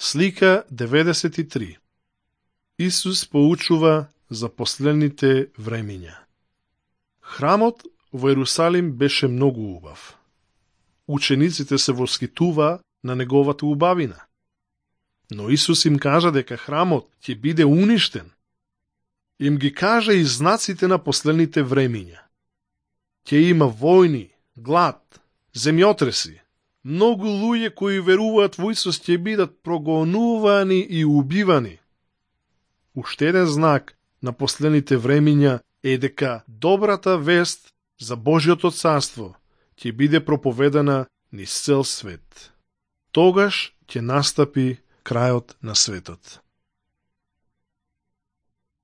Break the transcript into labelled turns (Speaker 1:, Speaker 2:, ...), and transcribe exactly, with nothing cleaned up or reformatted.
Speaker 1: Слика деветдесет и три. Исус поучува за последните времиња. Храмот во Ерусалим беше многу убав. Учениците се воскитува на неговата убавина. Но Исус им кажа дека храмот ќе биде уништен. Им ги кажа и знаците на последните времиња. Ќе има војни, глад, земјотреси. Многу луѓе кои веруваат во Исус ќе бидат прогонувани и убивани. Уште еден знак на последните времиња е дека добрата вест за Божјото царство ќе биде проповедана низ цел свет. Тогаш ќе настапи крајот на светот.